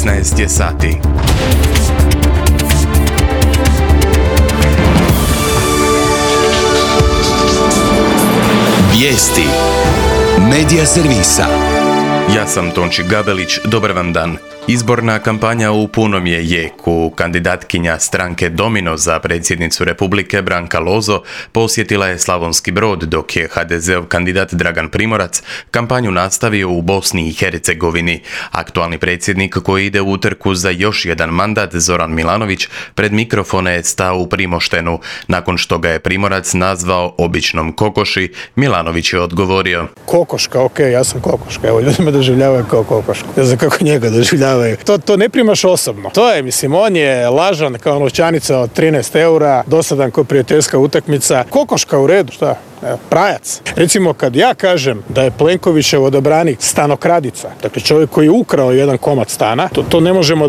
16 je sati. Vijesti Medija servisa. Ja sam Tonči Gabelić, dobar vam dan. Izborna kampanja u punom je jeku. Kandidatkinja stranke Domino za predsjednicu Republike Branka Lozo posjetila je Slavonski Brod, dok je HDZ-ov kandidat Dragan Primorac kampanju nastavio u Bosni i Hercegovini. Aktualni predsjednik koji ide u utrku za još jedan mandat, Zoran Milanović, pred mikrofone je stao u Primoštenu. Nakon što ga je Primorac nazvao običnom kokoši, Milanović je odgovorio: Kokoška, ja sam kokoška, evo ljudi me doživljavaju kao kokošku. Ne znam kako njega doživljavaju. To ne primaš osobno. To je, on je lažan kao novčanica od 13 eura, dosadan kao prijateljska utakmica. Kokoška u redu, šta? Prajac. Recimo kad ja kažem da je Plenkovićev odabranik stanokradica, dakle čovjek koji je ukrao jedan komad stana, to ne možemo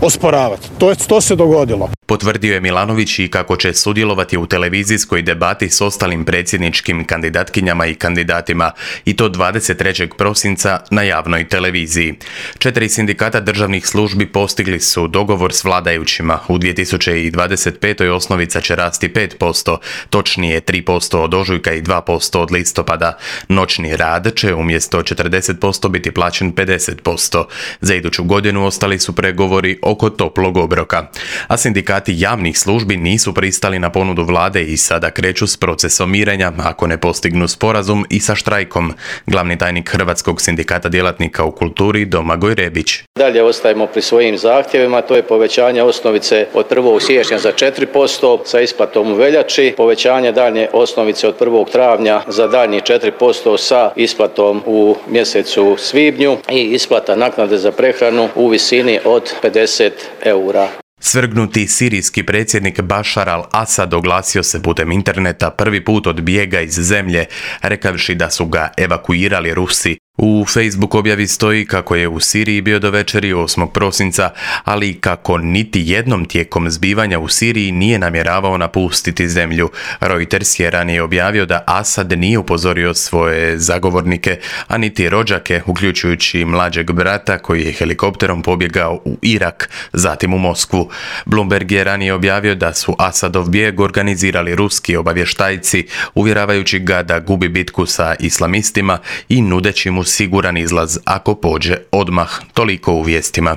osporavati. To se dogodilo. Potvrdio je Milanović i kako će sudjelovati u televizijskoj debati s ostalim predsjedničkim kandidatkinjama i kandidatima, i to 23. prosinca na javnoj televiziji. 4 sindikata državnih službi postigli su dogovor s vladajućima. U 2025. osnovica će rasti 5%, točnije 3% od ožujka i 2% od listopada. Noćni rad će umjesto 40% biti plaćen 50%. Za iduću godinu ostali su pregovori oko toplog obroka. A sindikati javnih službi nisu pristali na ponudu vlade i sada kreću s procesom mirenja ako ne postignu sporazum i sa štrajkom. Glavni tajnik Hrvatskog sindikata djelatnika u kulturi Domagoj Rebić. Dalje ostajemo pri svojim zahtjevima, to je povećanje osnovice od 1. siječnja za 4% sa isplatom u veljači, povećanje daljnje osnovice od 1. travnja za daljnjih 4% sa isplatom u mjesecu svibnju i isplata naknade za prehranu u visini od 50 eura. Svrgnuti sirijski predsjednik Bašar al-Asad oglasio se putem interneta prvi put od bijega iz zemlje, rekavši da su ga evakuirali Rusi. U Facebook objavi stoji kako je u Siriji bio do večeri 8. prosinca, ali kako niti jednom tijekom zbivanja u Siriji nije namjeravao napustiti zemlju. Reuters je ranije objavio da Asad nije upozorio svoje zagovornike, a niti rođake, uključujući mlađeg brata koji je helikopterom pobjegao u Irak, zatim u Moskvu. Bloomberg je ranije objavio da su Asadov bijeg organizirali ruski obavještajci, uvjeravajući ga da gubi bitku sa islamistima i nudeći mu siguran izlaz ako pođe odmah. Toliko u vijestima.